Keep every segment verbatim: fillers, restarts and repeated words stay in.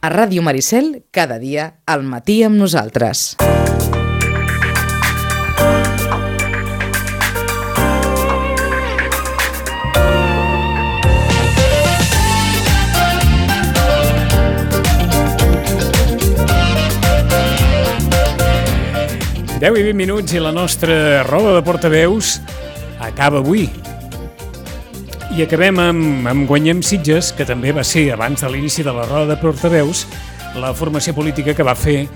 A Ràdio Maricel, cada dia, al matí amb nosaltres. deu i vint minuts i la nostra roda de portaveus acaba avui. I acabem amb, amb Guanyem Sitges, que també va ser, abans de l'inici de la roda de portaveus, la formació política que va fer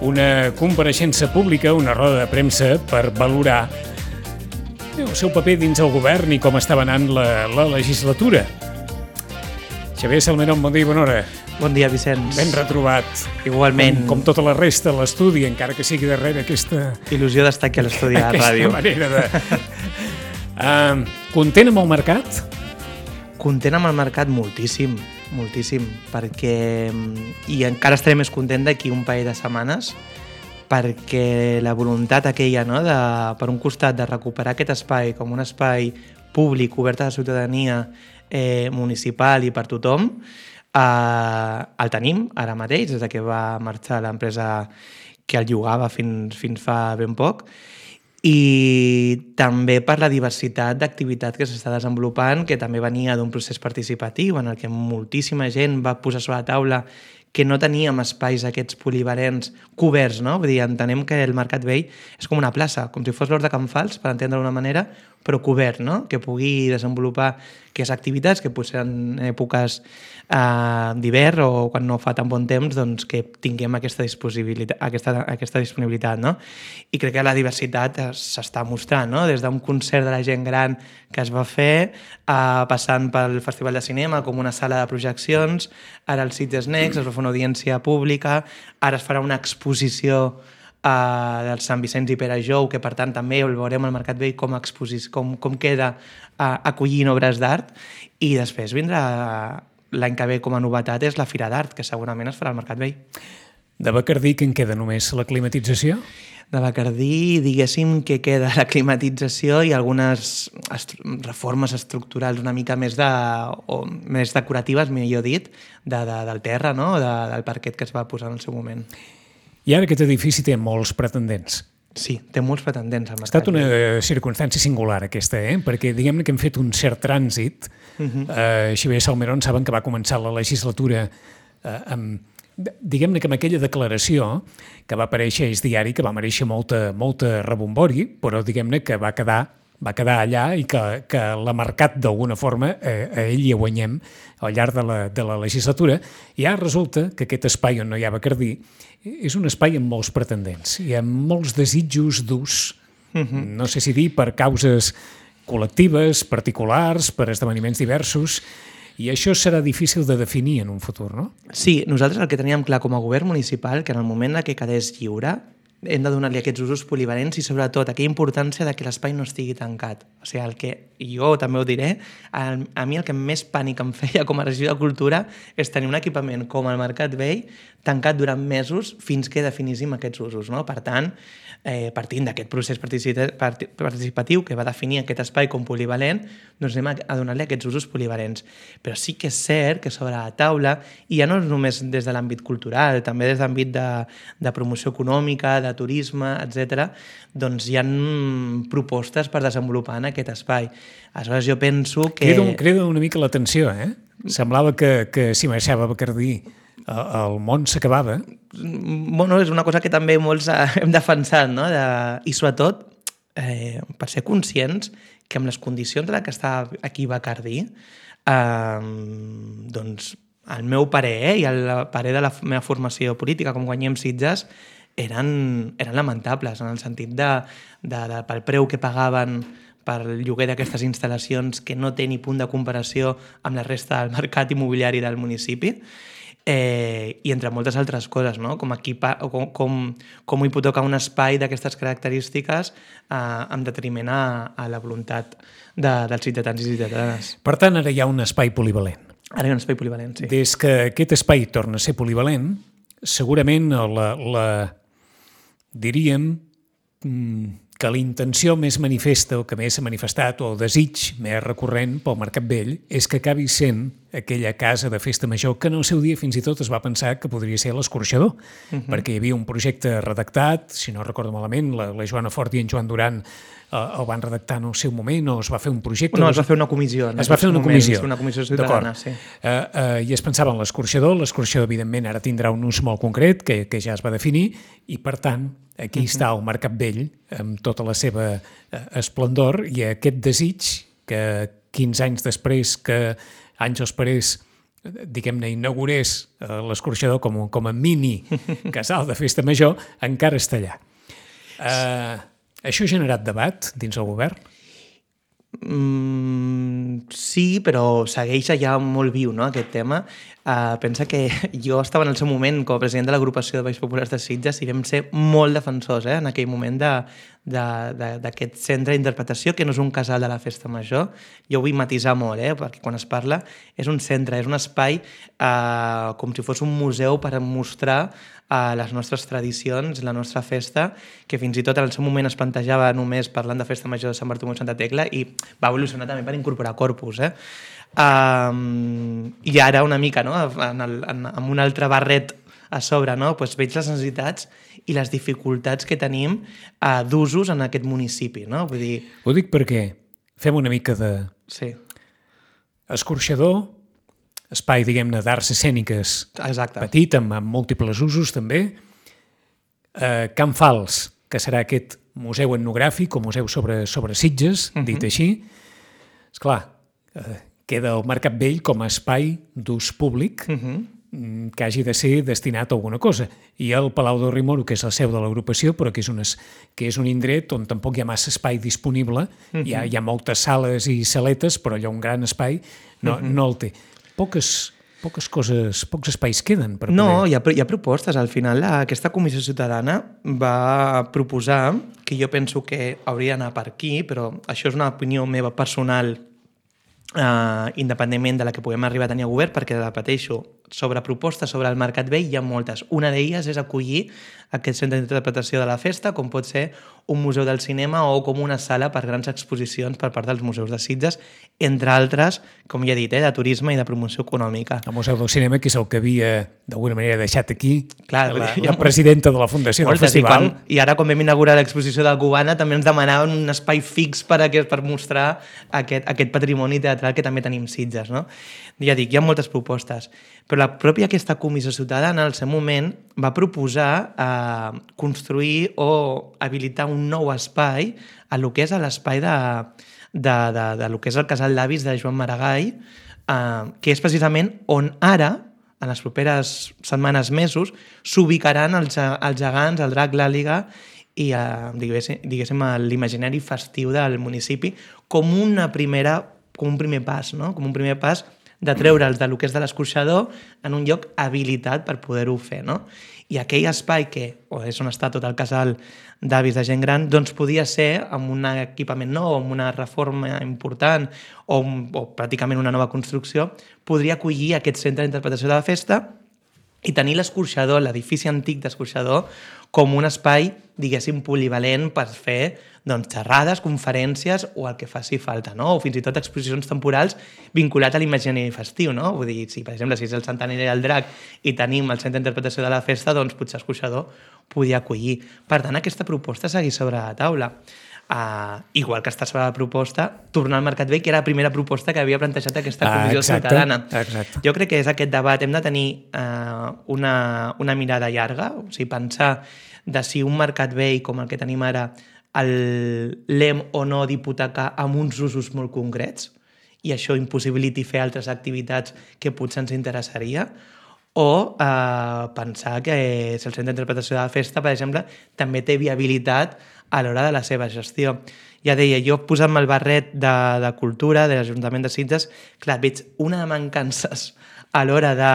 una compareixença pública, una roda de premsa, per valorar el seu paper dins el govern i com estava anant la, la legislatura. Xavier Salmerón, bon dia i bona hora. Bon dia, Vicenç. Ben retrobat. Igualment. Com, com tota la resta de l'estudi, encara que sigui darrere aquesta... Il·lusió d'estar aquí a l'estudi de la ràdio. Aquesta manera de... uh, content amb el mercat? Content amb el mercat moltíssim, moltíssim, perquè... I encara estaré més content d'aquí un parell de setmanes, perquè la voluntat aquella, no?, de, per un costat, de recuperar aquest espai com un espai públic, obert a la ciutadania, eh, municipal i per tothom, Uh, el tenim ara mateix, des que va marxar l'empresa que el llogava fins, fins fa ben poc, i també per la diversitat d'activitat que s'està desenvolupant, que també venia d'un procés participatiu en el que moltíssima gent va posar sobre la taula que no teníem espais aquests polivalents coberts, no? Vull dir, entenem que el Mercat Vell és com una plaça, com si fos l'Hort de Can Fals, per entendre d'una manera, però cobert, no? Que pugui desenvolupar aquestes activitats que potser en èpoques eh, d'hivern o quan no fa tan bon temps, doncs que tinguem aquesta disponibilitat, aquesta, aquesta disponibilitat, no? I crec que la diversitat s'està mostrant, no? Des d'un concert de la gent gran que es va fer, eh, passant pel Festival de Cinema com una sala de projeccions, ara el Sitges Next, es va fer una audiència pública, ara es farà una exposició Uh, del Sant Vicenç i Pere Jou, que per tant també el veurem al Mercat Vell com, exposis, com, com queda uh, acollint obres d'art, i després vindrà uh, l'any que ve com a novetat és la Fira d'Art, que segurament es farà al Mercat Vell. De Bacardí, que en queda només la climatització? De Bacardí, diguéssim que queda la climatització i algunes est- reformes estructurals una mica més, de, o més decoratives, millor dit, de, de, del terra, no? de, del parquet que es va posar en el seu moment. I ara aquest edifici té molts pretendents. Sí, té molts pretendents al Ha mercat. estat una circumstància singular aquesta, eh? Perquè diguem-ne que hem fet un cert trànsit. Uh-huh. Uh, Xavier Salmerón saben que va començar la legislatura uh, amb, diguem-ne que amb aquella declaració que va aparèixer a Es Diari, que va mereixer molta, molta rebombori, però diguem-ne que va quedar va quedar allà i que, que l'ha marcat d'alguna forma eh, a ell i a Guanyem al llarg de la, de la legislatura. I ara resulta que aquest espai on no hi ha Bacardí és un espai amb molts pretendents i amb molts desitjos d'ús. Uh-huh. No sé si dir per causes col·lectives, particulars, per esdeveniments diversos, i això serà difícil de definir en un futur, no? Sí, nosaltres el que teníem clar com a govern municipal, que en el moment que quedés lliure, hem de donar-li aquests usos polivalents i sobretot aquella importància de que l'espai no estigui tancat. O sigui, el que, i jo també ho diré, a, a mi el que més pànic em feia com a regidor de Cultura és tenir un equipament com el Mercat Vell tancat durant mesos fins que definíssim aquests usos, no? Per tant, eh, partint d'aquest procés participatiu que va definir aquest espai com polivalent, doncs anem a, a donar-li aquests usos polivalents. Però sí que és cert que sobre la taula, i ja no és només des de l'àmbit cultural, també des de l'àmbit de, de promoció econòmica, de turisme, etcètera, doncs hi ha propostes per desenvolupar en aquest espai. Aleshores jo penso que... Crida, crida una mica l'atenció, eh? Semblava que, que si marxava Bacardí el món s'acabava. Bueno, és una cosa que també molts hem defensat, no? De... I sobretot, eh, per ser conscients que amb les condicions en les que està aquí Bacardí, eh, doncs el meu parer, eh, i el parer de la meva formació política com Guanyem Sitges, eren, eren lamentables, en el sentit de, de, de pel preu que pagaven per el lloguer d'aquestes instal·lacions, que no té ni punt de comparació amb la resta del mercat immobiliari del municipi, eh, i entre moltes altres coses, no? Com, equipa, com, com, com hipotecar un espai d'aquestes característiques eh, en detriment a, a la voluntat de, dels ciutadans i ciutadanes. Per tant, ara hi ha un espai polivalent. Ara hi ha un espai polivalent, sí. Des que aquest espai torna a ser polivalent, segurament la, la diríem que la intenció més manifesta o que més s'ha manifestat o el desig més recurrent pel Mercat Vell és que acabi sent aquella casa de festa major que en el seu dia fins i tot es va pensar que podria ser l'Escorxador, uh-huh. perquè hi havia un projecte redactat, si no recordo malament, la, la Joana Fort i en Joan Duran eh, el van redactar en el seu moment, o es va fer un projecte... No, es va fer una comissió. Es va fer una moments, comissió. Una comissió ciutadana, sí. Eh, eh, I es pensava en l'Escorxador. L'Escorxador, evidentment, ara tindrà un ús molt concret, que, que ja es va definir, i, per tant, aquí uh-huh. està el Mercat Vell, amb tota la seva eh, esplendor, i aquest desig que quinze anys després que Àngels Parés, diguem-ne, inaugurés eh, l'Escorxador com, com a mini casal de festa major, encara està allà. Eh, això ha generat debat dins el govern? Mm, sí, però segueix allà molt viu, no?, aquest tema. Uh, pensa que jo estava en el seu moment com a president de l'agrupació de Balls Populars de Sitges i vam ser molt defensors eh, en aquell moment d'aquest centre d'interpretació, que no és un casal de la festa major. Jo ho vull matisar molt, eh, perquè quan es parla és un centre, és un espai uh, com si fos un museu per mostrar a les nostres tradicions, la nostra festa, que fins i tot en el seu moment es plantejava només parlant de festa major de Sant Bartomeu i Santa Tecla, i va evolucionar també per incorporar corpus. Eh? Um, I ara una mica, no? en el, en, amb un altre barret a sobre, no? Pues veig les necessitats i les dificultats que tenim uh, d'usos en aquest municipi. No? Vull dir... Ho dic perquè fem una mica de... Sí. Escorxador, espai, diguem-ne, d'arts escèniques. Exacte. Petit, amb, amb múltiples usos, també. Eh, Can Fals, que serà aquest museu etnogràfic o museu sobre, sobre Sitges, uh-huh. dit així. Esclar, eh, queda el Mercat Vell com a espai d'ús públic uh-huh. que hagi de ser destinat a alguna cosa. I el Palau del Rimoro, que és la seu de l'agrupació, però que és, unes, que és un indret on tampoc hi ha massa espai disponible. Uh-huh. Hi, ha, hi ha moltes sales i saletes, però allò un gran espai no, uh-huh. no el té. Poques, poques coses, pocs espais queden per poder... No, hi ha, hi ha propostes. Al final, aquesta comissió ciutadana va proposar, que jo penso que hauria d'anar per aquí, però això és una opinió meva personal, Uh, independentment de la que puguem arribar a tenir a govern, perquè, repeteixo, sobre propostes sobre el Mercat Vell hi ha moltes. Una d'elles és acollir aquest centre d'interpretació de la festa, com pot ser un museu del cinema o com una sala per grans exposicions per part dels museus de Sitges, entre altres, com ja he dit, eh, de turisme i de promoció econòmica. El Museu del Cinema, que és el que havia, d'alguna manera, deixat aquí Clar, la, ha... la presidenta de la Fundació Moltes, del Festival. I, quan, I ara, quan vam inaugurar l'exposició de Cubana, també ens demanaven un espai fix per, a, per mostrar aquest, aquest patrimoni teatral que també tenim Sitges. No? Ja dic, hi ha moltes propostes, però la pròpia aquesta comissió ciutadana, al seu moment, va proposar eh, construir o habilitar un nou espai a lo que és l'espai de, de, de, de lo que és el casal d'avis de Joan Maragall, eh, que és precisament on ara, en les properes setmanes, mesos, s'ubicaran els, els gegants, el drac, l'àliga i eh, diguéssim, diguéssim l'imaginari festiu del municipi com una primera, com un primer pas, no? Com un primer pas de treure'ls del que és de l'escorxador en un lloc habilitat per poder-ho fer, no? I aquell espai que, o és on està tot el casal d'avis de gent gran, doncs podia ser amb un equipament nou, amb una reforma important o, o pràcticament una nova construcció, podria acollir aquest centre d'interpretació de la festa i tenir l'escorxador, l'edifici antic d'escorxador, com un espai, diguéssim, polivalent per fer doncs, xerrades, conferències o el que faci falta, no? O fins i tot exposicions temporals vinculats a l'imaginari festiu, no? Vull dir, si per exemple si és el centenari del drac i tenim el centre d'interpretació de la festa, doncs potser escorxador podia acollir. Per tant, aquesta proposta segueix sobre la taula. Uh, igual que està sobre la proposta, tornar al Mercat Vell, que era la primera proposta que havia plantejat aquesta comissió ah, exacte, ciutadana. Exacte. Jo crec que és aquest debat. Hem de tenir uh, una, una mirada llarga, o sigui, pensar de si un Mercat Vell com el que tenim ara l'hem o no d'hipotecar amb uns usos molt concrets i això impossibiliti fer altres activitats que potser ens interessaria, o eh, pensar que si el centre d'interpretació de la festa, per exemple, també té viabilitat a l'hora de la seva gestió. Ja deia, jo posant-me el barret de, de cultura, de l'Ajuntament de Sitges, clar, veig una de mancances a l'hora de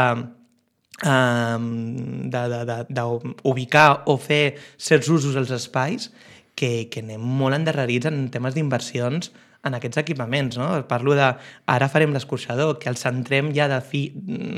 d'ubicar o fer certs usos als espais que, que anem molt endarrerits en temes d'inversions en aquests equipaments, no? Parlo de, ara farem l'escorxador, que el centrem ja de fi,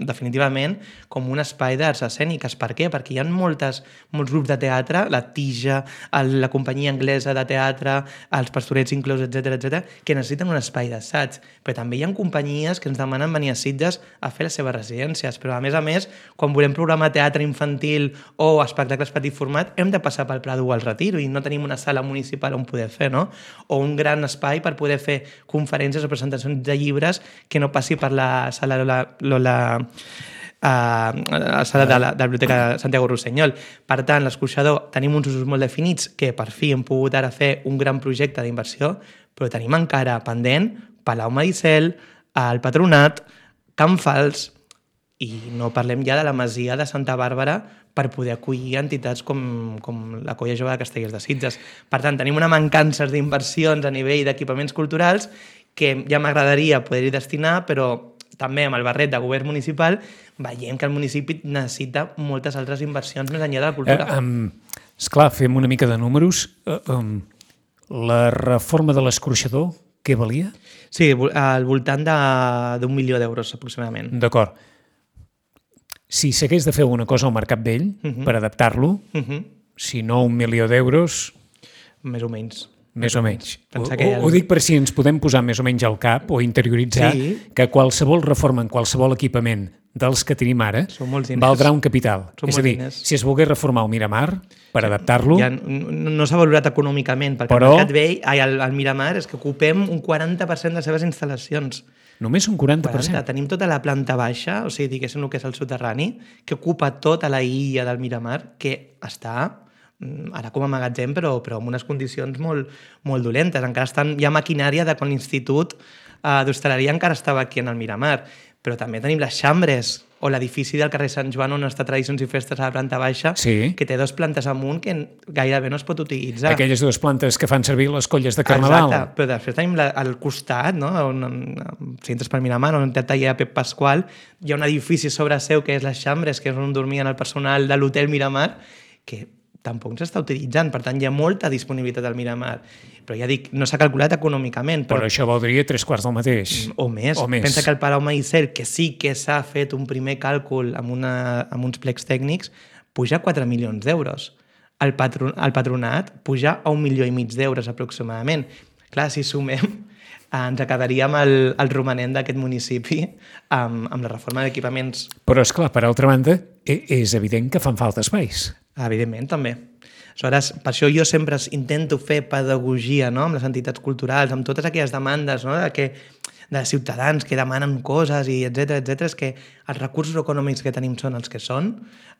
definitivament com un espai d'arts escèniques. Per què? Perquè hi ha moltes, molts grups de teatre, la Tija, el, la companyia anglesa de teatre, els Pastorets inclòs, etcètera, etcètera, que necessiten un espai d'assaig. Però també hi ha companyies que ens demanen venir a Sitges a fer les seves residències. Però a més a més, quan volem programar teatre infantil o espectacles petit format, hem de passar pel Prado o al Retiro i no tenim una sala municipal on poder fer, no? O un gran espai per poder fer conferències o presentacions de llibres que no passi per la sala Lola, Lola uh, la sala de la, de la Biblioteca de Santiago Rossinyol. Per tant, l'escorxador tenim uns usos molt definits que per fi hem pogut ara fer un gran projecte d'inversió, però tenim encara pendent Palau Maricel, el Patronat, Can Fals, i no parlem ja de la Masia de Santa Bàrbara per poder acollir entitats com, com la Colla Jove de Castellers de Sitges. Per tant, tenim una mancança d'inversions a nivell d'equipaments culturals que ja m'agradaria poder-hi destinar, però també amb el barret de govern municipal veiem que el municipi necessita moltes altres inversions més enllà de la cultura. Eh, um, esclar, fem una mica de números. Uh, um, la reforma de l'escorxador, què valia? Sí, al voltant d'un milió d'euros aproximadament. D'acord. Si s'hagués de fer alguna cosa al Mercat Vell uh -huh. per adaptar-lo, uh -huh. si no un milió d'euros... Més o menys. Més o menys. Ho, el... ho dic per si ens podem posar més o menys al cap o interioritzar sí. que qualsevol reforma en qualsevol equipament dels que tenim ara valdrà un capital. Són És a dir, diners. Si es volgués reformar el Miramar per sí. adaptar-lo... Ja no no s'ha valorat econòmicament, perquè però... el Mercat Vell, ai, el, el Miramar, és que ocupem un quaranta per cent de les seves instal·lacions. Només un quaranta per cent? quaranta. Tenim tota la planta baixa, o sigui, diguéssim el que és el soterrani, que ocupa tota la illa del Miramar, que està ara com a magatzem, però, però en unes condicions molt, molt dolentes. Encara estan, hi ha maquinària de quan l'Institut eh, d'Hostaleria encara estava aquí en el Miramar, però també tenim les xambres o l'edifici del carrer Sant Joan on està Tradicions i Festes a la planta baixa, sí. que té dues plantes amunt que gairebé no es pot utilitzar. Aquelles dues plantes que fan servir les colles de Carnaval. Exacte, però després tenim la, al costat, no? on, on, si entres per Miramar, on té el taller Pep Pasqual, hi ha un edifici sobre seu que és les xambres, que és on dormien el personal de l'hotel Miramar, que tampoc s'està utilitzant, per tant hi ha molta disponibilitat al Miramar, però ja dic, no s'ha calculat econòmicament. Però, però això valdria tres quarts del mateix. O més. O més. Pensa que el Palau Maricel, que sí que s'ha fet un primer càlcul amb, una, amb uns plecs tècnics, puja a quatre milions d'euros. El, patron, el Patronat puja a un milió i mig d'euros aproximadament. Clar, si sumem, ens quedaríem el, el romanent d'aquest municipi amb, amb la reforma d'equipaments. Però, esclar, per altra banda, és evident que fan falta espais. Evidentment, també. Aleshores, per això jo sempre intento fer pedagogia, no?, amb les entitats culturals, amb totes aquelles demandes, no?, de, que, de ciutadans que demanen coses, i etcètera, etcètera, és que els recursos econòmics que tenim són els que són,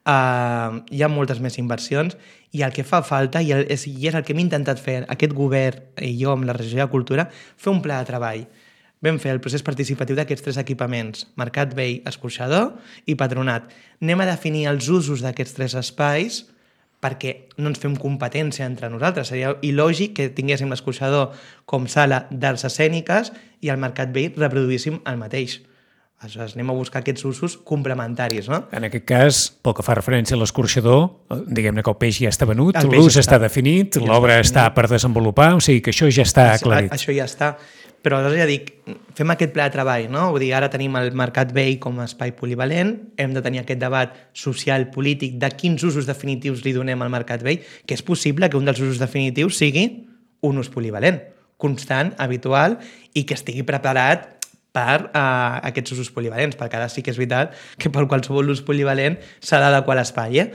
uh, hi ha moltes més inversions, i el que fa falta, i, el, és, i és el que hem intentat fer aquest govern i jo amb la regió de Cultura, fer un pla de treball. Vam fer el procés participatiu d'aquests tres equipaments, Mercat Vell, Escorxador i Patronat. Anem a definir els usos d'aquests tres espais perquè no ens fem competència entre nosaltres. Seria il·lògic que tinguéssim l'Escorxador com sala d'arts escèniques i el Mercat Vell reproduíssim el mateix. Aleshores, anem a buscar aquests usos complementaris, no? En aquest cas, pel que fa referència a l'escorxador, diguem-ne que el peix ja està venut, l'ús està definit, l'obra està per desenvolupar, o sigui que això ja està aclarit. Això ja està. Però aleshores ja dic, fem aquest pla de treball, no? Vull dir, ara tenim el Mercat Vell com a espai polivalent, hem de tenir aquest debat social, polític, de quins usos definitius li donem al Mercat Vell, que és possible que un dels usos definitius sigui un ús polivalent, constant, habitual, i que estigui preparat per uh, aquests usos polivalents, perquè ara sí que és veritat que per qualsevol ús polivalent s'ha d'adequar l'espai, eh?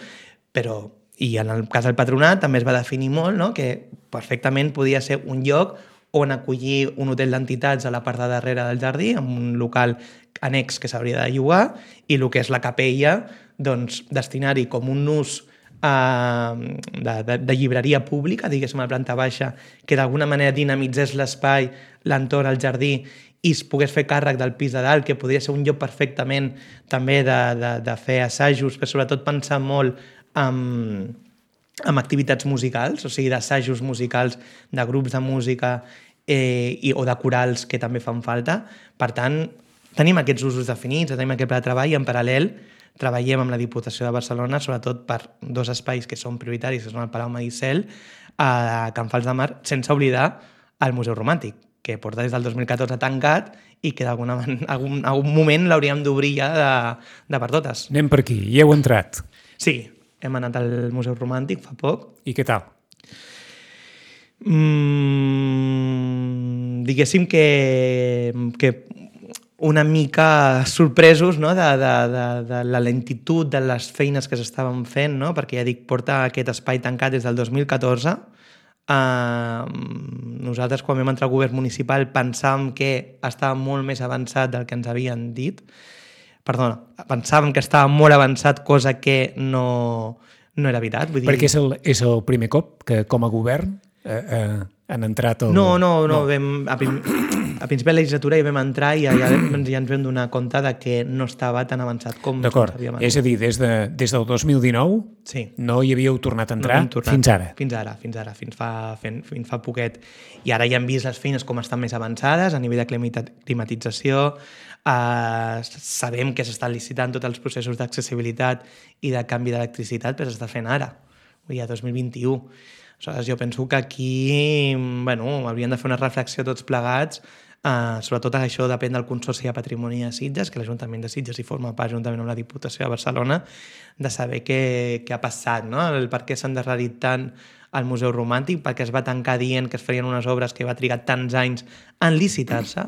Però, i en el cas del Patronat també es va definir molt, no?, que perfectament podia ser un lloc on acollir un hotel d'entitats a la part de darrere del jardí, amb un local annex que s'hauria de llogar, i el que és la capella, doncs, destinar-hi com un ús eh, de, de, de llibreria pública, diguéssim, a la planta baixa, que d'alguna manera dinamitzés l'espai, l'entorn, el jardí, i es pogués fer càrrec del pis de dalt, que podria ser un lloc perfectament també de, de, de fer assajos, però sobretot pensar molt en... amb activitats musicals, o sigui, d'assajos musicals, de grups de música eh, i, o de corals que també fan falta. Per tant, tenim aquests usos definits, tenim aquest pla de treball i en paral·lel treballem amb la Diputació de Barcelona, sobretot per dos espais que són prioritaris, que són el Palau Maricel, a Can Fals de Mar, sense oblidar el Museu Romàntic, que porta des del dos mil catorze tancat i que d'algun algun, algun moment l'hauríem d'obrir ja de, de per totes. Anem per aquí, hi heu entrat. Sí, hem anat al Museu Romàntic fa poc. I què tal? Mm, diguéssim que, que una mica sorpresos, no? de, de, de, de la lentitud de les feines que s'estaven fent, no? Perquè ja dic, porta aquest espai tancat des del dos mil catorze. Uh, nosaltres, quan vam entrar al govern municipal, pensàvem que estava molt més avançat del que ens havien dit. Perdona, pensàvem que estava molt avançat, cosa que no, no era veritat. Vull dir... Perquè és el, és el primer cop que, com a govern, eh, eh, han entrat... El... No, no, no. no. Vam, a, prim, a principi de la legislatura hi vam entrar i ja, ja, ja ens vam donar compte de que no estava tan avançat com D'acord, havíem és a dir, des, de, des del dos mil dinou sí. no hi havíeu tornat a entrar no tornat, fins ara. Fins ara, fins ara, fins fa, fins, fins fa poquet. I ara ja hem vist les feines com estan més avançades a nivell de climatització, eh, sabem que s'estan licitant tots els processos d'accessibilitat i de canvi d'electricitat, però s'està fent ara, ja dos mil vint-i-u. Aleshores, jo penso que aquí bueno, hauríem de fer una reflexió tots plegats. Uh, sobretot això depèn del Consorci de Patrimoni de Sitges, que l'Ajuntament de Sitges hi forma part juntament amb la Diputació de Barcelona, de saber què, què ha passat, no? El per què s'ha endarrerit tant al Museu Romàntic, perquè es va tancar dient que es farien unes obres que va trigar tants anys en licitar-se.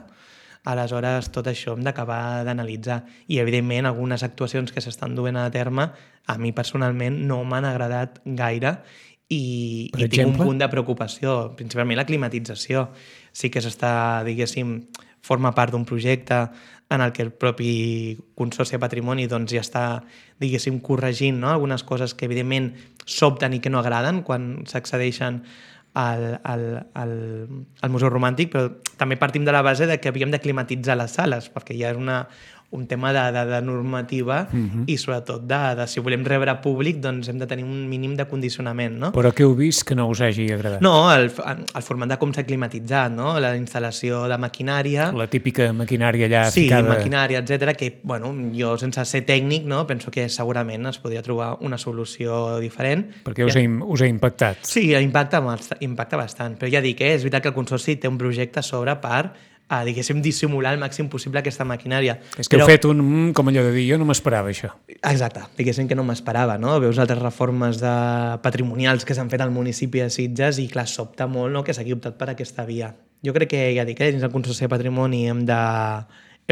Aleshores, tot això hem d'acabar d'analitzar. I, evidentment, algunes actuacions que s'estan duent a terme, a mi personalment no m'han agradat gaire i, i tinc un punt de preocupació, principalment la climatització. Sí que s'està, diguéssim, forma part d'un projecte en el que el propi Consorci de Patrimoni doncs, ja està, diguéssim, corregint, no? Algunes coses que, evidentment, sobten i que no agraden quan s'accedeixen al, al, al, al Museu Romàntic, però també partim de la base de que havíem de climatitzar les sales, perquè ja és una, un tema de, de, de normativa uh-huh. i sobretot de, de si volem rebre públic doncs hem de tenir un mínim de condicionament, no? Però què heu vist que no us hagi agradat? No, el, el format de com s'ha climatitzat, no? La instal·lació de maquinària... La típica maquinària allà sí, ficada... Sí, maquinària, etcètera, que, bueno, jo sense ser tècnic, no, penso que segurament es podria trobar una solució diferent. Perquè us, ja... ha, us ha impactat. Sí, impacta, impacta bastant, però ja dic, eh, és veritat que el Consorci té un projecte a sobre per a, diguéssim, dissimular al màxim possible aquesta maquinària. És que però... heu fet un... com allò de dir, jo no m'esperava això. Exacte, diguéssim que no m'esperava, no? Veus altres reformes de patrimonials que s'han fet al municipi de Sitges i, clar, sobta molt, no?, que s'hagi optat per aquesta via. Jo crec que, ja dic, eh, dins del Consorci de Patrimoni hem de,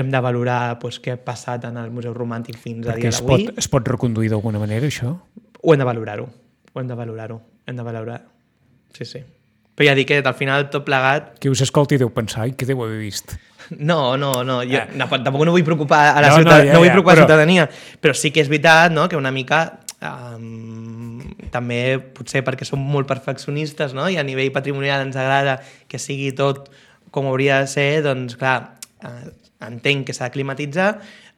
hem de valorar pues, què ha passat en el Museu Romàntic fins a dia d'avui. Perquè es pot reconduir d'alguna manera, això? Ho hem de valorar-ho, ho hem de valorar-ho, hem de valorar. Sí, sí. Però ja dic que al final tot plegat... Qui us escolti deu pensar, ai, què deu haver vist? No, no, no, jo ah. no, tampoc no vull preocupar a la no, ciutadania, no, ja, no vull ja, preocupar però... la ciutadania, però sí que és veritat, no?, que una mica um, també potser perquè som molt perfeccionistes, no?, i a nivell patrimonial ens agrada que sigui tot com hauria de ser, doncs clar, eh, entenc que s'ha de climatitzar,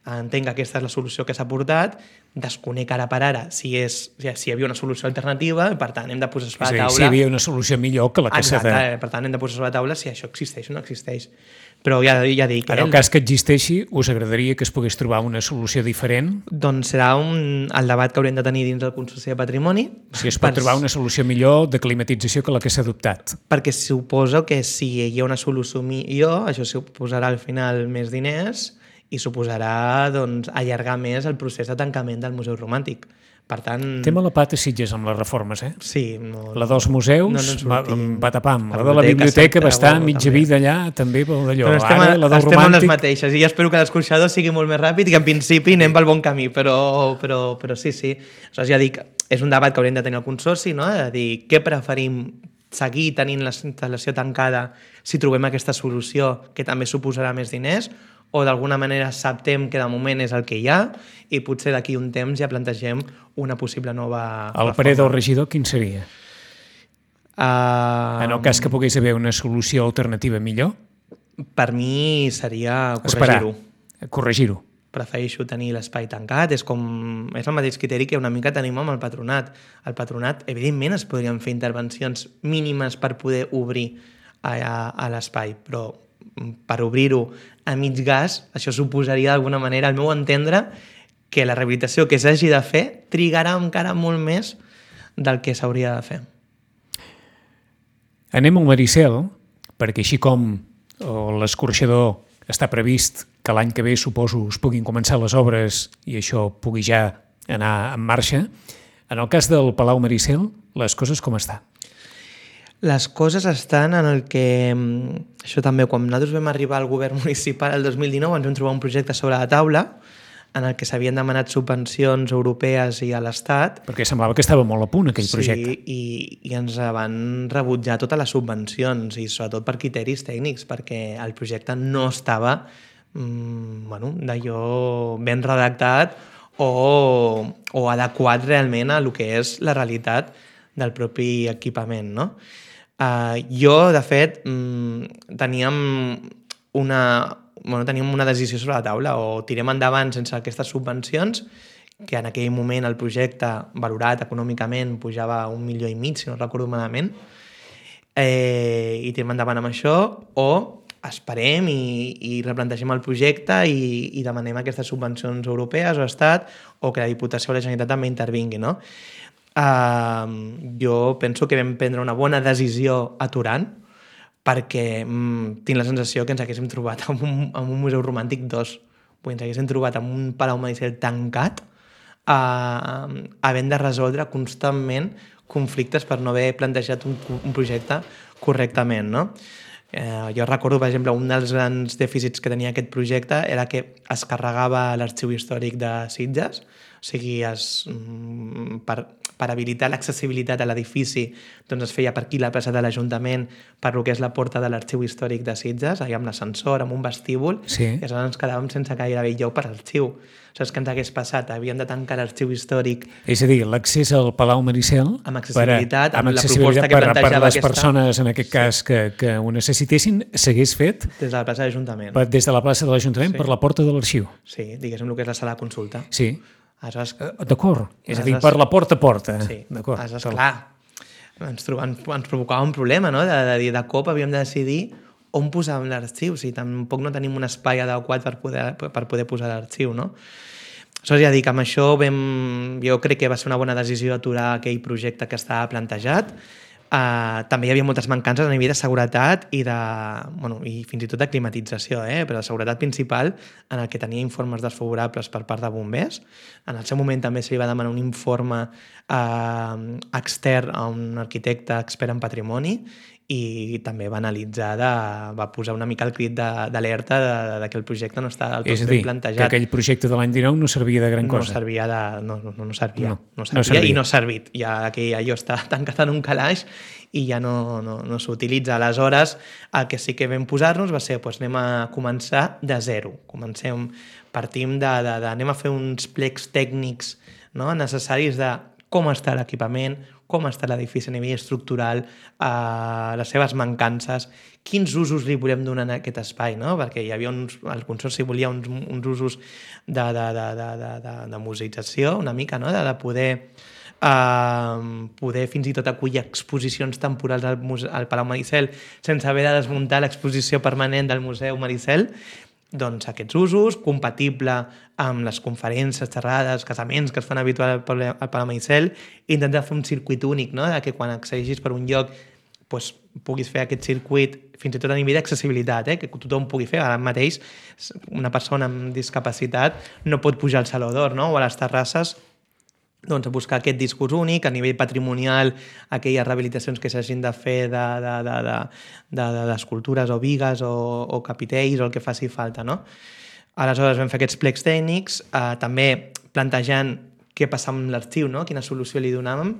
entenc que aquesta és la solució que s'ha portat, desconec ara per ara si, és, si hi havia una solució alternativa i per tant hem de posar sobre la taula... Si hi havia una solució millor que la que s'ha de... Exacte, per tant hem de posar sobre la taula si això existeix o no existeix. Però ja, ja dic... En el cas que existeixi, us agradaria que es pogués trobar una solució diferent? Doncs serà un, el debat que haurem de tenir dins del Consorci de Patrimoni. Si es pot per... trobar una solució millor de climatització que la que s'ha adoptat. Perquè suposo que si hi ha una solució millor, això suposarà al final més diners i suposarà doncs, allargar més el procés de tancament del Museu Romàntic. Per tant... Té mala pata Sitges amb les reformes, eh? Sí. No, la dels museus, no, no va, va tapam. La de la biblioteca va estar mitja també. vida allà, també pel d'allò. Però estem, Ara, la del estem romàntic... amb les mateixes i jo espero que l'escorxador sigui molt més ràpid i que en principi anem pel bon camí, però, però, però sí, sí. Aleshores, ja dic, és un debat que haurem de tenir al Consorci, no?, de dir què preferim seguir tenint la instal·lació tancada si trobem aquesta solució que també suposarà més diners, o d'alguna manera acceptem que de moment és el que hi ha i potser d'aquí un temps ja plantegem una possible nova El reforma. parer del regidor quin seria? Uh, en el cas que pogués haver una solució alternativa millor? Per mi seria corregir-ho. Corregir-ho. Prefereixo tenir l'espai tancat, és com és el mateix criteri que una mica tenim amb el patronat. El patronat, evidentment, es podrien fer intervencions mínimes per poder obrir a, a, a l'espai, però per obrir-ho a mig gas, això suposaria d'alguna manera, al meu entendre, que la rehabilitació que s'hagi de fer trigarà encara molt més del que s'hauria de fer. Anem al Maricel, perquè així com o l'escorxador està previst que l'any que ve, suposo, es puguin començar les obres i això pugui ja anar en marxa. En el cas del Palau Maricel, les coses com estan? Les coses estan en el que... Això també, quan nosaltres vam arribar al govern municipal el dos mil dinou, ens vam trobar un projecte sobre la taula en el que s'havien demanat subvencions europees i a l'Estat. Perquè semblava que estava molt a punt aquell projecte. Sí, i, i ens van rebutjar totes les subvencions, i sobretot per criteris tècnics, perquè el projecte no estava mmm, bueno, d'allò ben redactat o, o adequat realment a el que és la realitat del propi equipament, no? Uh, jo, de fet, mmm, teníem una... Bueno, teníem una decisió sobre la taula, o tirem endavant sense aquestes subvencions, que en aquell moment el projecte valorat econòmicament pujava a un milió i mig, si no recordo malament, eh, i tirem endavant amb això, o esperem i, i replantegem el projecte i, i demanem aquestes subvencions europees o Estat, o que la Diputació o la Generalitat també intervingui, no? Uh, jo penso que vam prendre una bona decisió aturant, perquè mm, tinc la sensació que ens haguéssim trobat en un, en un museu romàntic dos, ens haguéssim trobat en un Palau Maricel tancat, uh, havent de resoldre constantment conflictes per no haver plantejat un, un projecte correctament, no? Eh, jo recordo, per exemple, un dels grans dèficits que tenia aquest projecte era que es carregava l'arxiu històric de Sitges, o sigui, es, per, per habilitar l'accessibilitat a l'edifici, doncs es feia per aquí la plaça de l'Ajuntament, per lo que és la porta de l'arxiu històric de Sitges, allà amb l'ascensor, amb un vestíbul, sí. I aleshores ens quedàvem sense gairebé lloc per l'arxiu. Saps què ens hagués passat? Havíem de tancar l'arxiu històric. És a dir, l'accés al Palau Maricel... Amb accessibilitat, per, amb, amb la proposta que per, plantejava per les aquesta... persones, en aquest cas, que, que ho necessitessin, s'hagués fet... Des de la plaça de l'Ajuntament. Des de la plaça de l'Ajuntament, sí. Per la porta de l'arxiu. Sí, diguéssim el que és la sala de consulta. Sí. Aleshores... D'acord. És a dir, per la porta a porta. Sí. D'acord. Aleshores, clar, ens, ens, ens provocava un problema, no? De, de, de cop havíem de decidir on posàvem l'arxiu. O sigui, tampoc no tenim un espai adequat per poder, per poder posar l'arxiu, no? Aleshores, ja dic, amb això vam, jo crec que va ser una bona decisió aturar aquell projecte que estava plantejat. Uh, també hi havia moltes mancances a nivell de seguretat i, de, bueno, i fins i tot de climatització, eh? Però la seguretat principal, en el que tenia informes desfavorables per part de bombers. En el seu moment també se li va demanar un informe uh, extern a un arquitecte expert en patrimoni i també va analitzar, de, va posar una mica el crit d'alerta de, de, de que el projecte no està del tot ben plantejat. És a dir, que aquell projecte de l'any dinou no servia de gran cosa. No servia, de, no, no, no servia, no, no servia, no servia i no ha servit. Ja que allò està tancat en un calaix i ja no, no, no s'utilitza. Aleshores, el que sí que vam posar-nos va ser, doncs anem a començar de zero. Comencem, partim de, de, de anem a fer uns plecs tècnics, no?, necessaris de com està l'equipament, com està l'edifici a nivell estructural, eh, les seves mancances, quins usos li volem donar a aquest espai, no? Perquè hi havia uns, el Consorci volia uns, uns usos de, de, de, de, de, de, de museïtzació, una mica, no? De, de poder, eh, poder fins i tot acollir exposicions temporals al, muse, al Palau Maricel sense haver de desmuntar l'exposició permanent del Museu Maricel. Doncs aquests usos, compatible amb les conferències, xerrades, casaments que es fan habitual al Palau Maricel, intentar fer un circuit únic, no?, de que quan accedeixis per un lloc doncs, puguis fer aquest circuit fins i tot a nivell d'accessibilitat, eh? Que tothom pugui fer. Ara mateix una persona amb discapacitat no pot pujar al Saló d'Or, no?, o a les terrasses, doncs, a buscar aquest discurs únic, a nivell patrimonial, aquelles rehabilitacions que s'hagin de fer d'escultures de, de, de, de, o bigues o, o capitells o el que faci falta, no? Aleshores vam fer aquests plecs tècnics, eh, també plantejant què passa amb l'arxiu, no?, quina solució li donàvem,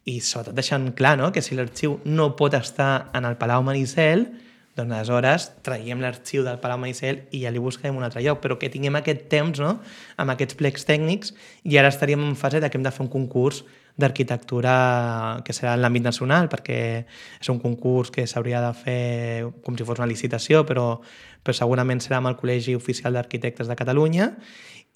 i sobretot deixant clar, no?, que si l'arxiu no pot estar en el Palau Maricel, doncs aleshores traiem l'arxiu del Palau Maricel i ja li buscarem un altre lloc, però que tinguem aquest temps, no?, amb aquests plecs tècnics, i ara estaríem en fase de que hem de fer un concurs d'arquitectura que serà en l'àmbit nacional, perquè és un concurs que s'hauria de fer com si fos una licitació, però, però segurament serà amb el Col·legi Oficial d'Arquitectes de Catalunya,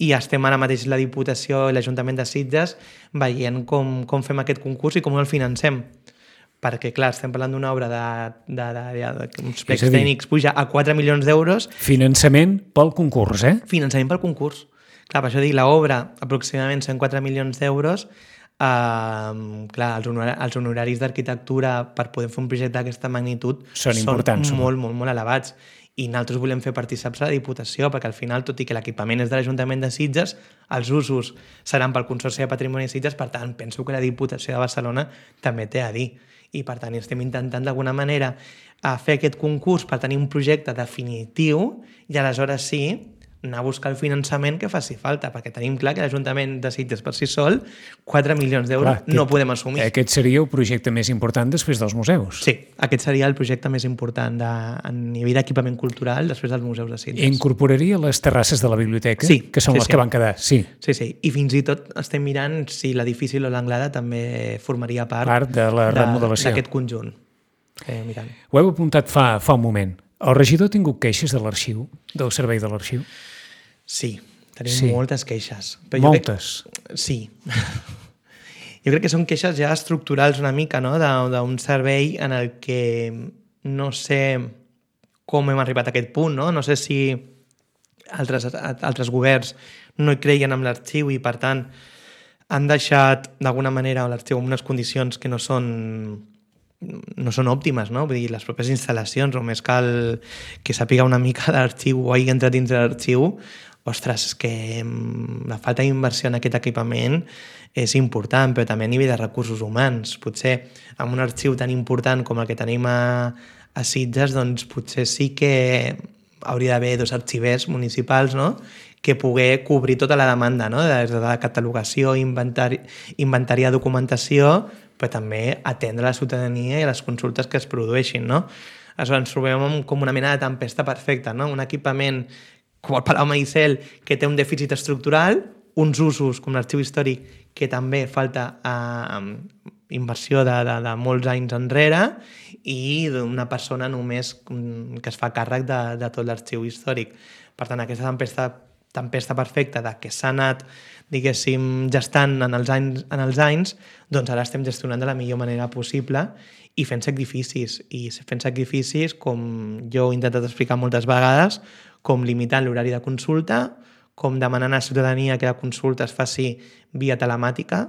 i estem ara mateix la Diputació i l'Ajuntament de Sitges veient com, com fem aquest concurs i com el financem. Perquè, clar, estem parlant d'una obra de, de, de, de, de uns plecs tècnics puja a quatre milions d'euros. Finançament pel concurs, eh? Finançament pel concurs. Clar, per això dic, l'obra, aproximadament cent quatre milions d'euros, Uh, clar, els, honor els honoraris d'arquitectura per poder fer un projecte d'aquesta magnitud són, són importants, molt, molt, molt elevats. I nosaltres volem fer partícips a la Diputació, perquè al final, tot i que l'equipament és de l'Ajuntament de Sitges, els usos seran pel Consorci de Patrimoni de Sitges, per tant, penso que la Diputació de Barcelona també té a dir. I, per tant, estem intentant d'alguna manera a fer aquest concurs per tenir un projecte definitiu i aleshores sí anar a buscar el finançament que faci falta, perquè tenim clar que l'Ajuntament de Sitges per si sol, quatre milions d'euros no podem assumir. Aquest seria el projecte més important després dels museus. Sí, aquest seria el projecte més important de, a nivell d'equipament cultural després dels museus de Sitges. Incorporaria les terrasses de la biblioteca, sí, que són sí, les sí. que van quedar. Sí. sí, sí, i fins i tot estem mirant si l'edifici o l'Anglada també formaria part, part de la remodelació d'aquest conjunt. Eh, mirant. Ho heu apuntat fa, fa un moment. El regidor ha tingut queixes de l'arxiu, del servei de l'arxiu? Sí, tenim sí. moltes queixes. Però moltes? Crec... Sí. Jo crec que són queixes ja estructurals una mica, no?, d'un servei en el que no sé com hem arribat a aquest punt, no? No sé si altres, altres governs no hi creien en l'arxiu i, per tant, han deixat d'alguna manera l'arxiu en unes condicions que no són no són òptimes, no? Vull dir, les pròpies instal·lacions, només cal que sàpiga una mica d'arxiu o hagi entrat dins de l'arxiu, ostres, és que la falta d'inversió en aquest equipament és important, però també a nivell de recursos humans. Potser amb un arxiu tan important com el que tenim a, a Sitges, doncs potser sí que hauria d'haver dos arxivers municipals, no?, que poder cobrir tota la demanda, no?, des de la catalogació, inventari, inventari de documentació, però també atendre la ciutadania i les consultes que es produeixin, no? Aleshores ens trobem com una mena de tempesta perfecta, no? Un equipament com el Palau Maricel, que té un dèficit estructural, uns usos com l'arxiu històric, que també falta eh, inversió de, de, de molts anys enrere, i d'una persona només que es fa càrrec de, de tot l'arxiu històric. Per tant, aquesta tempesta, tempesta perfecta de que s'ha anat, diguéssim, gestant en els, anys, en els anys, doncs ara estem gestionant de la millor manera possible i fent sacrificis. I fent sacrificis, com jo he intentat explicar moltes vegades, com limitant l'horari de consulta, com demanant a la ciutadania que la consulta es faci via telemàtica,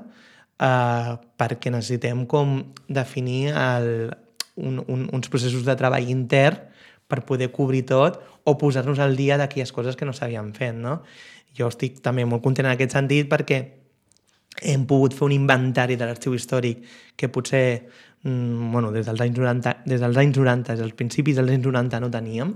eh, perquè necessitem com definir el, un, un, uns processos de treball intern per poder cobrir tot o posar-nos al dia d'aquelles coses que no s'havien fet, no? Jo estic també molt content en aquest sentit perquè hem pogut fer un inventari de l'arxiu històric que potser mmm, bueno, des dels anys noranta, des dels anys noranta, dels principis dels anys noranta no teníem,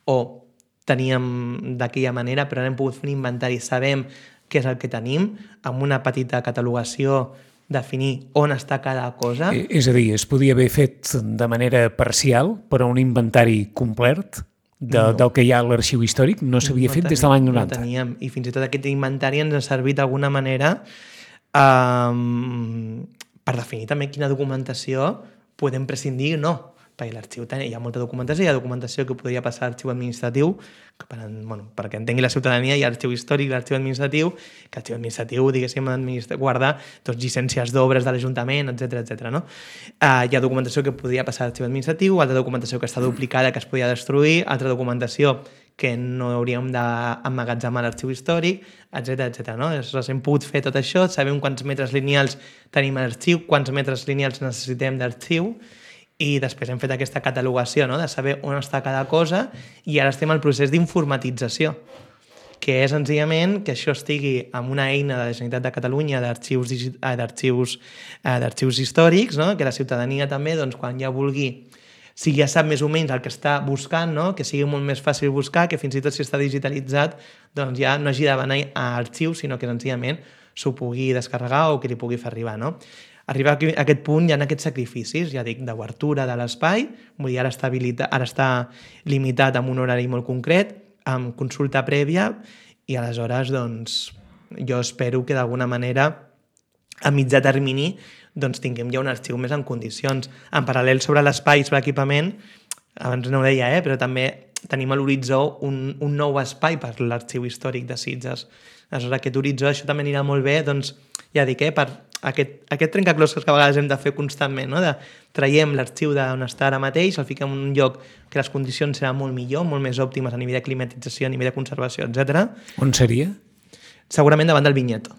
o teníem d'aquella manera, però ara hem pogut fer un inventari, sabem què és el que tenim, amb una petita catalogació, definir on està cada cosa. És a dir, es podia haver fet de manera parcial, però un inventari complet de, no. del que hi ha a l'arxiu històric no s'havia no fet des de l'any noranta. No teníem, i fins i tot aquest inventari ens ha servit d'alguna manera um, per definir també quina documentació podem prescindir o no. Perquè l'arxiu hi ha molta documentació, hi ha documentació que podria passar a l'arxiu administratiu, que per, bueno, perquè entengui la ciutadania, hi ha l'arxiu històric i l'arxiu administratiu, que l'arxiu administratiu, diguéssim, administra, guarda doncs, llicències d'obres de l'Ajuntament, etcètera etcètera. No? Uh, hi ha documentació que podria passar a l'arxiu administratiu, altra documentació que està duplicada, que es podria destruir, altra documentació que no hauríem d'emmagatzemar a l'arxiu històric, etcètera etcètera. No? Aleshores, hem pogut fer tot això, sabem quants metres lineals tenim a l'arxiu, quants metres lineals necessitem d'arxiu, i després hem fet aquesta catalogació, no?, de saber on està cada cosa, i ara estem al procés d'informatització, que és senzillament que això estigui amb una eina de la Generalitat de Catalunya d'arxius d'arxius d'arxius històrics, no?, que la ciutadania també, doncs, quan ja vulgui, si ja sap més o menys el que està buscant, no?, que sigui molt més fàcil buscar, que fins i tot si està digitalitzat, doncs ja no hagi d'anar a arxius, sinó que senzillament s'ho pugui descarregar o que li pugui fer arribar, no? Arribar a aquest punt hi ha aquests sacrificis, ja dic, d'obertura de l'espai, vull dir, ara està, habilitat, ara està limitat amb un horari molt concret, amb consulta prèvia, i aleshores, doncs, jo espero que d'alguna manera, a mitjà termini, doncs tinguem ja un arxiu més en condicions. En paral·lel sobre l'espai, sobre l'equipament, abans no ho deia, eh, però també tenim a l'horitzó un, un nou espai per l'arxiu històric de Sitges. Aleshores, aquest horitzó, això també anirà molt bé, doncs, ja dic, eh, per aquest, aquest trencaclosques que a vegades hem de fer constantment, no? De traiem l'arxiu d'on està ara mateix, el fiquem en un lloc que les condicions seran molt millor, molt més òptimes a nivell de climatització, a nivell de conservació, etcètera. On seria? Segurament davant del Vinyeto.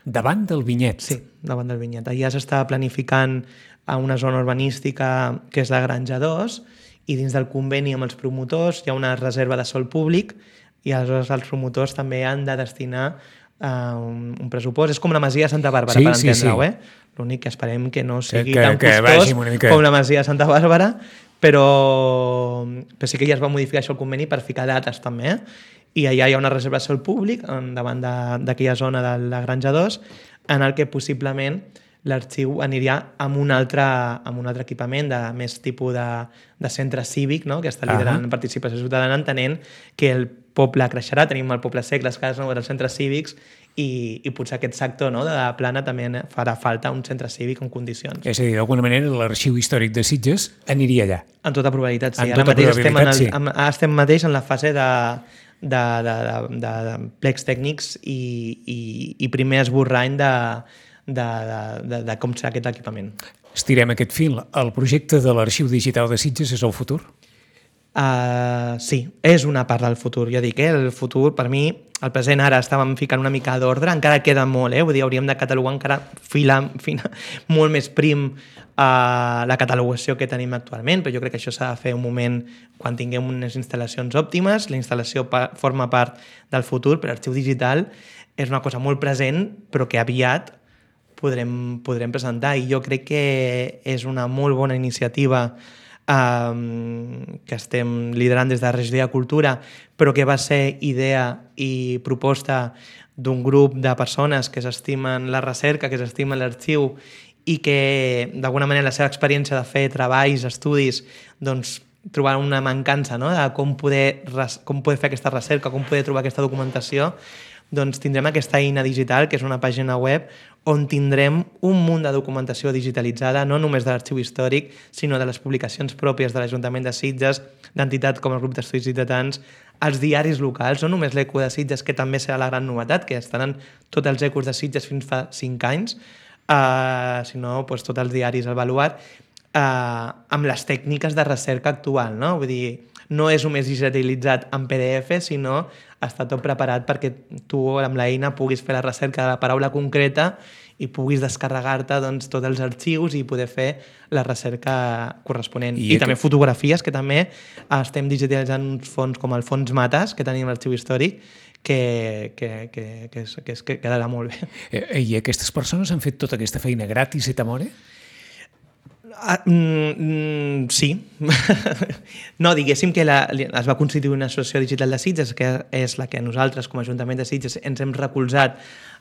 davant del vinyet. Sí, davant del vinyet. Allà s'està planificant a una zona urbanística que és la Granja dos, i dins del conveni amb els promotors hi ha una reserva de sòl públic i aleshores els promotors també han de destinar uh, un, un pressupost. És com la Masia de Santa Bàrbara, sí, per sí, entendre-ho, sí. eh? L'únic que esperem que no sigui que, tan que, costós que mica... com la Masia de Santa Bàrbara, però, però sí que ja es va modificar això el conveni per ficar dates també, eh? I allà hi ha una reserva de sòl públic davant d'aquella zona de la Granja dos en el que possiblement l'arxiu aniria amb un altre, amb un altre equipament de més tipus de, de centre cívic, no? Que està liderant uh -huh. participació ciutadana, entenent que el poble creixerà, tenim el poble sec, les cases noves, els centres cívics, i, i potser aquest sector, no, de la Plana també farà falta un centre cívic en condicions. És a dir, d'alguna manera l'arxiu històric de Sitges aniria allà. En tota probabilitat, sí. En Ara tota mateix probabilitat, estem, en el, sí. en, estem mateix en la fase de de, de, de, de, de plecs tècnics i, i, i primer esborrany de, de, de, de, de com serà aquest equipament. Estirem aquest fil. El projecte de l'Arxiu Digital de Sitges és el futur? Uh, sí, és una part del futur. Jo dic, eh, el futur, per mi, el present ara estàvem ficant una mica d'ordre, encara queda molt, eh? Vull dir, hauríem de catalogar encara fila, fina, molt més prim uh, la catalogació que tenim actualment, però jo crec que això s'ha de fer un moment quan tinguem unes instal·lacions òptimes. La instal·lació pa forma part del futur, però l'arxiu digital és una cosa molt present, però que aviat podrem, podrem presentar, i jo crec que és una molt bona iniciativa Um, que estem liderant des de la Regidoria de Cultura, però que va ser idea i proposta d'un grup de persones que s'estimen la recerca, que s'estimen l'arxiu i que d'alguna manera la seva experiència de fer treballs, estudis, doncs trobar una mancança, no?, de com poder, com poder fer aquesta recerca, com poder trobar aquesta documentació, doncs tindrem aquesta eina digital, que és una pàgina web on tindrem un munt de documentació digitalitzada, no només de l'arxiu històric, sinó de les publicacions pròpies de l'Ajuntament de Sitges, d'entitats com el Grup d'Estudis Ciutadans, els diaris locals, no només l'Eco de Sitges, que també serà la gran novetat, que estaran tots els ecos de Sitges fins fa cinc anys, uh, sinó doncs, tots els diaris al baluart, uh, amb les tècniques de recerca actual, no? Vull dir, no és només digitalitzat en P D F, sinó està tot preparat perquè tu amb l'eina puguis fer la recerca de la paraula concreta i puguis descarregar-te doncs, tots els arxius i poder fer la recerca corresponent. I, I també que... fotografies, que també estem digitalitzant uns fons com el Fons Matas, que tenim l'arxiu històric, que, que, que, que, és, que, és, que quedarà molt bé. I aquestes persones han fet tota aquesta feina gratis et amore? Ah, mm, mm, sí. No, diguéssim que la, es va constituir una associació digital de Sitges, que és la que nosaltres, com a Ajuntament de Sitges, ens hem recolzat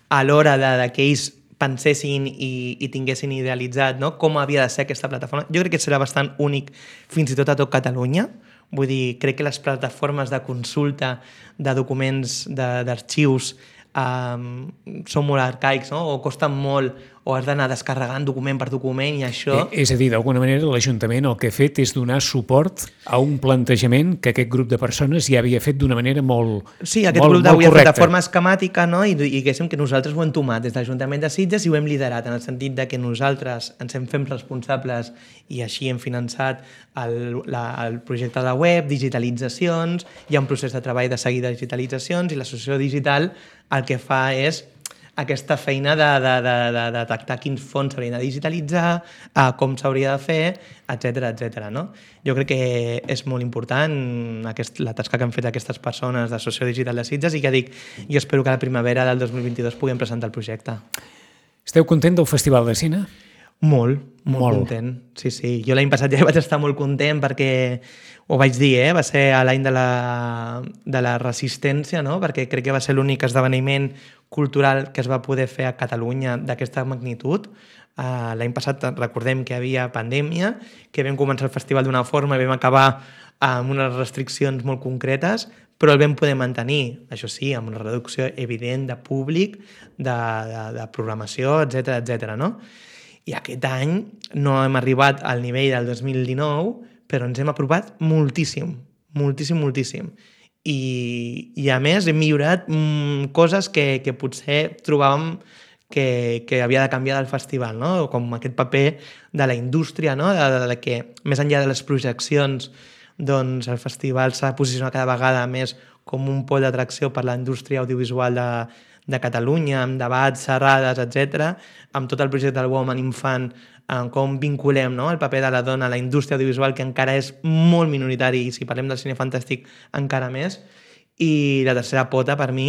a l'hora de, de que ells pensessin i, i tinguessin idealitzat, no?, com havia de ser aquesta plataforma. Jo crec que serà bastant únic fins i tot a tot Catalunya. Vull dir, crec que les plataformes de consulta de documents, d'arxius, um, són molt arcaics, no?, o costen molt, o has d'anar descarregant document per document i això... Eh, és a dir, d'alguna manera l'Ajuntament el que ha fet és donar suport a un plantejament que aquest grup de persones ja havia fet d'una manera molt correcta. Sí, aquest grup havia fet de forma esquemàtica, no? I, i diguéssim que nosaltres ho hem tomat des de l'Ajuntament de Sitges i ho hem liderat, en el sentit de que nosaltres ens hem fet responsables i així hem finançat el, la, el projecte de la web, digitalitzacions, hi ha un procés de treball de seguir de digitalitzacions i l'associació digital el que fa és aquesta feina de, de, de, de, de detectar quins fons s'haurien de digitalitzar, uh, com s'hauria de fer, etcètera, etcètera, no? Jo crec que és molt important aquest, la tasca que han fet aquestes persones d'Associació Digital de Sitges i que dic, jo espero que a la primavera del dos mil vint-i-dos puguem presentar el projecte. Esteu content del Festival de Cine? Molt, molt, molt content. Sí, sí. Jo l'any passat ja vaig estar molt content perquè, ho vaig dir, eh? Va ser l'any de, la, de la resistència, no? Perquè crec que va ser l'únic esdeveniment cultural que es va poder fer a Catalunya d'aquesta magnitud. Uh, l'any passat recordem que hi havia pandèmia, que vam començar el festival d'una forma i vam acabar amb unes restriccions molt concretes, però el vam poder mantenir, això sí, amb una reducció evident de públic, de, de, de programació, etcètera, etcètera, no? I aquest any no hem arribat al nivell del dos mil dinou, però ens hem aprovat moltíssim, moltíssim, moltíssim. I, i a més hem millorat mm, coses que, que potser trobàvem que, que havia de canviar del festival, no? Com aquest paper de la indústria, no? de, de, de que més enllà de les projeccions doncs el festival s'ha posicionat cada vegada més com un pol d'atracció per la indústria audiovisual de, de Catalunya, amb debats, xerrades, etcètera, amb tot el projecte del Woman Infant, en com vinculem, no?, el paper de la dona a la indústria audiovisual, que encara és molt minoritari, i si parlem del cine fantàstic encara més. I la tercera pota, per mi,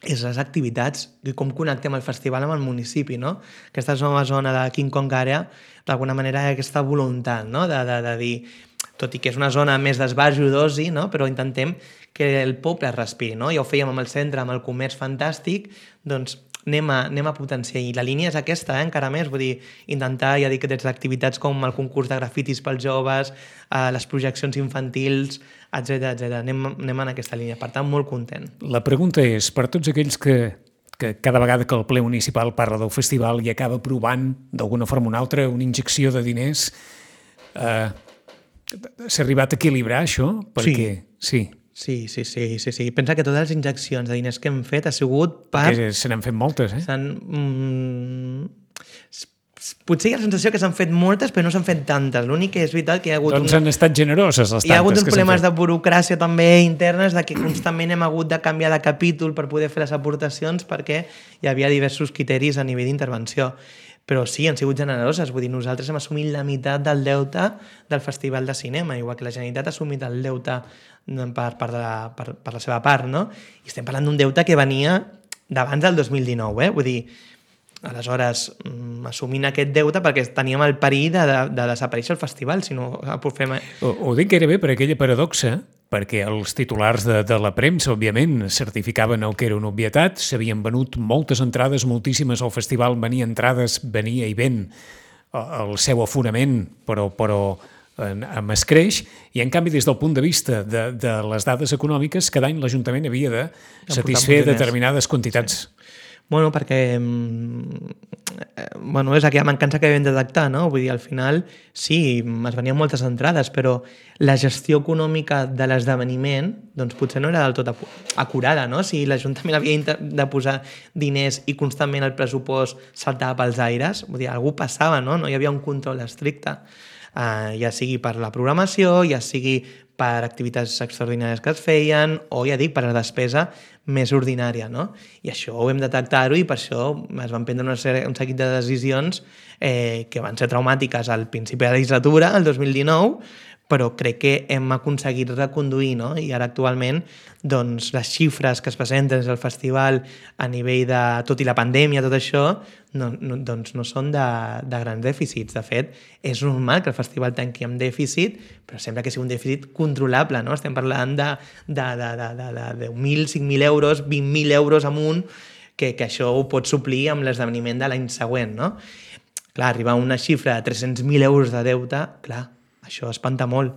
és les activitats i com connectem el festival amb el municipi, no? Aquesta nova zona de King Kong Area, d'alguna manera, hi ha aquesta voluntat, no?, de, de, de dir, tot i que és una zona més d'esbarjo d'oci, no?, però intentem que el poble es respiri, no? Ja ho fèiem amb el centre, amb el comerç fantàstic, doncs anem a, anem a potenciar. I la línia és aquesta, eh, encara més, vull dir, intentar, ja dic, des d'activitats com el concurs de grafitis pels joves, eh, les projeccions infantils, etcètera, etcètera. Anem, anem en aquesta línia, per tant, molt content. La pregunta és, per tots aquells que, que cada vegada que el ple municipal parla del festival i acaba provant, d'alguna forma o una altra, una injecció de diners, eh, s'ha arribat a equilibrar això? Perquè, sí. Sí, sí, sí, sí, sí. Pensa que totes les injeccions de diners que hem fet ha sigut per... Perquè se n'han fet moltes, eh? S'han... Mm, potser hi ha la sensació que s'han fet moltes, però no s'han fet tantes. L'únic que és veritat que hi ha hagut... Doncs un... han estat generoses, les tantes. Hi ha hagut uns que problemes de burocràcia també internes, de que constantment hem hagut de canviar de capítol per poder fer les aportacions, perquè hi havia diversos criteris a nivell d'intervenció. Però sí, han sigut generoses. Vull dir, nosaltres hem assumit la meitat del deute del Festival de Cinema, igual que la Generalitat ha assumit el deute per, per, la, per, per la seva part, no? I estem parlant d'un deute que venia d'abans del dos mil dinou, eh? Vull dir, aleshores, assumint aquest deute perquè teníem el perill de, de, de desaparèixer el festival, si no fem... Ho, ho dic gairebé per aquella paradoxa, perquè els titulars de, de la premsa, òbviament, certificaven el que era una obvietat, s'havien venut moltes entrades, moltíssimes al festival, venia entrades, venia i ven el seu aforament, però, però amb escreix, i en canvi des del punt de vista de, de les dades econòmiques, cada any l'Ajuntament havia de satisfer determinades quantitats. Sí. Bueno, perquè bueno, és aquella mancança que vam detectar, no? Vull dir, al final, sí, es venien moltes entrades, però la gestió econòmica de l'esdeveniment doncs potser no era del tot acurada, no? Si l'Ajuntament havia de posar diners i constantment el pressupost saltava pels aires, vull dir, algú passava, no? No hi havia un control estricte, uh, ja sigui per la programació, ja sigui per activitats extraordinàries que es feien, o ja dic, per la despesa més ordinària, no? I això ho hem detectat i per això es van prendre una sèrie, un seguit de decisions eh, que van ser traumàtiques al principi de la legislatura, el dos mil dinou, però crec que hem aconseguit reconduir, no? I ara actualment doncs, les xifres que es presenten des del festival a nivell de... tot i la pandèmia, tot això, no, no, doncs no són de, de grans dèficits. De fet, és normal que el festival tanqui amb dèficit, però sembla que sigui un dèficit controlable, no? Estem parlant de, de, de, de, de, de deu mil, cinc mil euros, vint mil euros amunt, que, que això ho pot suplir amb l'esdeveniment de l'any següent, no? Clar, arribar a una xifra de tres-cents mil euros de deute, clar, això espanta molt.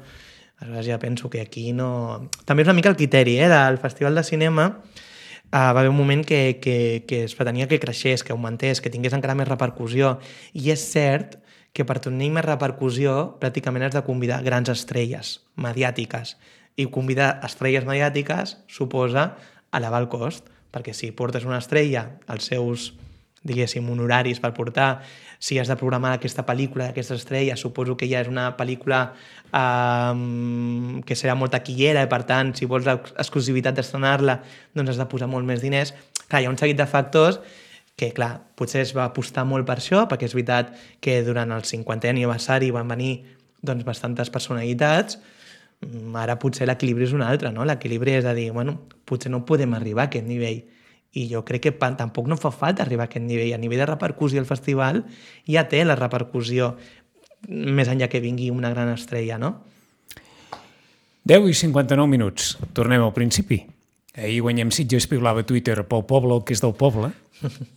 Aleshores ja penso que aquí no... També és una mica el criteri, eh? Del Festival de Cinema uh, va haver un moment que, que, que es pretenia que creixés, que augmentés, que tingués encara més repercussió. I és cert que per tenir més repercussió pràcticament has de convidar grans estrelles mediàtiques. I convidar estrelles mediàtiques suposa elevar el cost, perquè si portes una estrella, els seus, diguéssim, honoraris per portar, si has de programar aquesta pel·lícula d'aquesta estrella, suposo que ja és una pel·lícula eh, que serà molt taquillera i per tant, si vols l'exclusivitat d'estrenar-la, doncs has de posar molt més diners. Clar, hi ha un seguit de factors que, clar, potser es va apostar molt per això, perquè és veritat que durant el cinquantè aniversari van venir doncs, bastantes personalitats. Ara potser l'equilibri és un altre, no? L'equilibri és a dir, bueno, potser no podem arribar a aquest nivell. I jo crec que tampoc no fa falta arribar a aquest nivell. A nivell de repercussió el festival ja té la repercussió més enllà que vingui una gran estrella, no? deu i cinquanta-nou minuts. Tornem al principi. Ahir Guanyem Sitges piulava a Twitter pel poble, el que és del poble,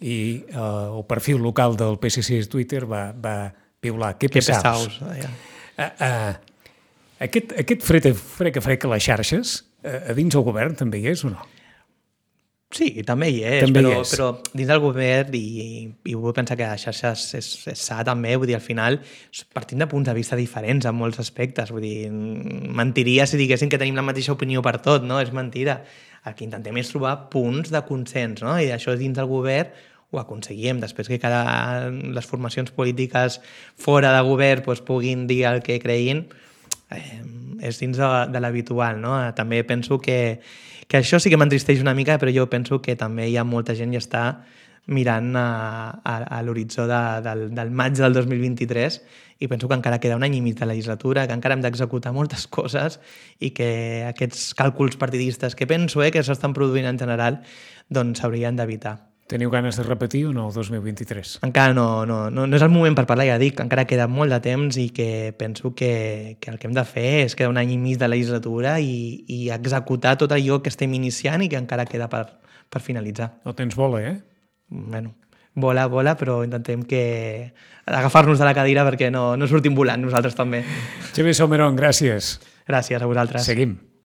i uh, el perfil local del P S C a Twitter va, va piular. Que pesaus. Que pesaus, ja. Uh, uh, aquest, aquest fred a frec a frec a les xarxes, uh, a dins el govern també hi és o no? Sí, també hi és, també però, hi és. però dins del govern, i, i vull pensar que a xarxes és, és sa també, vull dir, al final partim de punts de vista diferents en molts aspectes, vull dir, mentiria si diguéssim que tenim la mateixa opinió per tot, no? És mentira. El que intentem és trobar punts de consens, no? I això dins del govern ho aconseguim. Després que cada, les formacions polítiques fora de govern doncs, puguin dir el que creguin, eh, és dins de, de l'habitual, no? També penso que, que això sí que m'entristeix una mica, però jo penso que també hi ha molta gent que està mirant a, a, a l'horitzó de, del, del maig del dos mil vint-i-tres i penso que encara queda un any i mig de legislatura, que encara hem d'executar moltes coses i que aquests càlculs partidistes que penso eh, que s'estan produint en general doncs s'haurien d'evitar. Teniu ganes de repetir o no el dos mil vint-i-tres? Encara no, no, no, no és el moment per parlar, ja dic, encara queda molt de temps i que penso que, que el que hem de fer és quedar un any i mig de legislatura i, i executar tot allò que estem iniciant i que encara queda per, per finalitzar. No tens bola, eh? Bueno, vola, vola, però intentem que agafar-nos de la cadira perquè no, no sortim volant nosaltres també. Xavier Salmerón, gràcies. Gràcies a vosaltres. Seguim.